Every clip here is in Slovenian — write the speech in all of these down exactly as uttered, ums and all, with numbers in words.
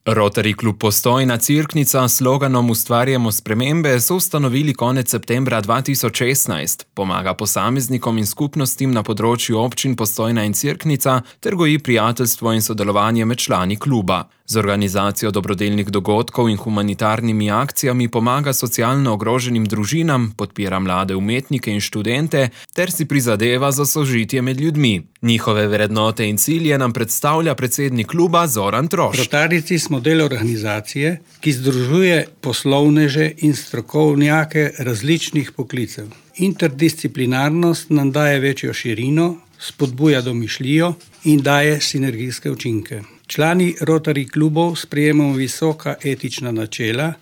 Rotary klub Postojna Cerknica s sloganom Ustvarjamo spremembe so ustanovili konec septembra dva tisoč šestnajst. Pomaga posameznikom in skupnostim na področju občin Postojna in Cerknica ter goji prijateljstvo in sodelovanje med člani kluba. Z organizacijo dobrodelnih dogodkov in humanitarnimi akcijami pomaga socialno ogroženim družinam, podpira mlade umetnike in študente ter si prizadeva za sožitje med ljudmi. Njihove vrednote in cilje nam predstavlja predsednik kluba Zoran Trošt. Rotarijci smo del organizacije, ki združuje poslovneže in strokovnjake različnih poklicev. Interdisciplinarnost nam daje večjo širino, spodbuja domišljijo in daje sinergijske učinke. Člani Rotary klubov sprejemamo visoka etična načela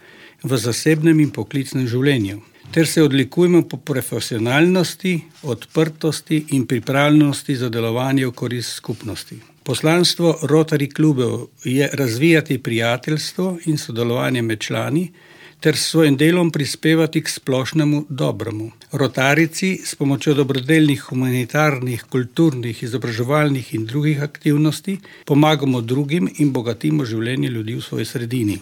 v zasebnem in poklicnem življenju, ter se odlikujemo po profesionalnosti, odprtosti in pripravljenosti za delovanje v korist skupnosti. Poslanstvo Rotary klubov je razvijati prijateljstvo in sodelovanje med člani, ter s svojim delom prispevati k splošnemu dobremu. Rotarijci s pomočjo dobrodelnih, humanitarnih, kulturnih, izobraževalnih in drugih aktivnosti pomagamo drugim in bogatimo življenje ljudi v svoji sredini.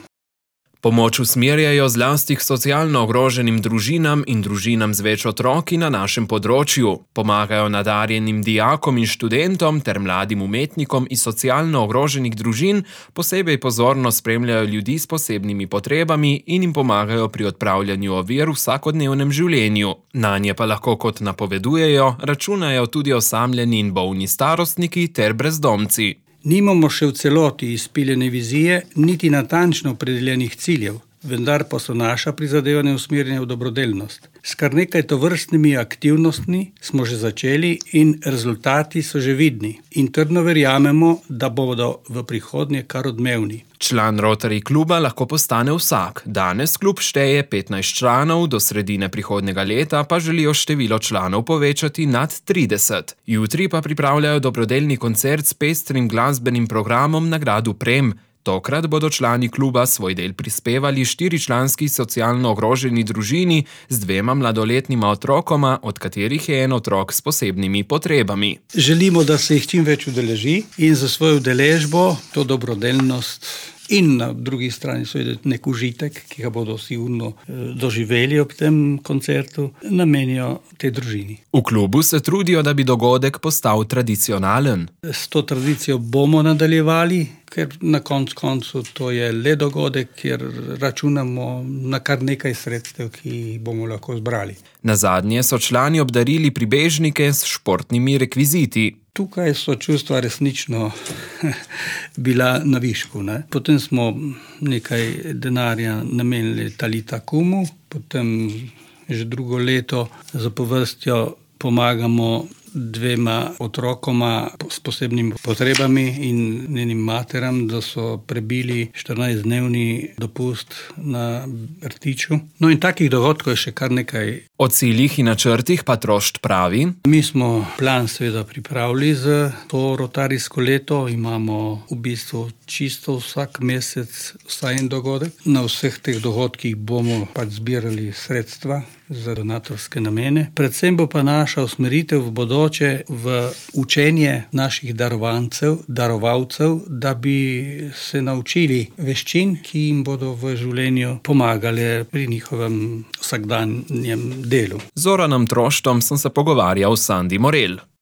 Pomoč usmerjajo zlasti k socialno ogroženim družinam in družinam z več otroki na našem področju. Pomagajo nadarjenim dijakom in študentom ter mladim umetnikom iz socialno ogroženih družin, posebej pozorno spremljajo ljudi s posebnimi potrebami in jim pomagajo pri odpravljanju ovir v vsakodnevnem življenju. Nanje pa lahko, kot napovedujejo, računajo tudi osamljeni in bolni starostniki ter brezdomci. Nimamo še v celoti izpiljene vizije, niti natančno opredeljenih ciljev, vendar pa so naša prizadevanja usmerjena v dobrodelnost. S kar nekaj tovrstnimi aktivnostmi smo že začeli in rezultati so že vidni. In trdno verjamemo, da bodo v prihodnje kar odmevni. Član Rotary kluba lahko postane vsak. Danes klub šteje petnajst članov, do sredine prihodnjega leta pa želijo število članov povečati nad trideset. Jutri pa pripravljajo dobrodelni koncert s pestrim glasbenim programom na gradu Prem. Tokrat bodo člani kluba svoj del prispevali štiričlanski socialno ogroženi družini z dvema mladoletnima otrokoma, od katerih je en otrok s posebnimi potrebami. Želimo, da se jih čim več udeleži in za svojo udeležbo to dobrodelnost in na drugi strani seveda nek užitek, ki ga bodo sigurno doživeli ob tem koncertu, namenijo tej družini. V klubu se trudijo, da bi dogodek postal tradicionalen. S to tradicijo bomo nadaljevali, ker na koncu koncu to je le dogodek, kjer računamo na kar nekaj sredstev, ki jih bomo lahko zbrali. Nazadnje so člani obdarili pribežnike s športnimi rekviziti. Tukaj so čustva resnično bila na višku. Ne? Potem smo nekaj denarja namenili Talita Kumu, potem že drugo leto zapovrstjo pomagamo dvema otrokoma s posebnimi potrebami in njenim materam, da so prebili štirinajstdnevni dopust na Rtiču. No in takih dogodkov je še kar nekaj. O ciljih in načrtih pa Trošt pravi. Mi smo plan seveda pripravili za to rotarijsko leto. Imamo v bistvu čisto vsak mesec vsaj en dogodek. Na vseh teh dogodkih bomo pač zbirali sredstva za donatorske namene. Predvsem bo pa naša usmeritev v bodoče v učenje naših darovancev, darovalcev, da bi se naučili veščin, ki jim bodo v življenju pomagale pri njihovem vsakdanjem delu. Z Zoranom Troštom sem se pogovarjal s Sandi Morel.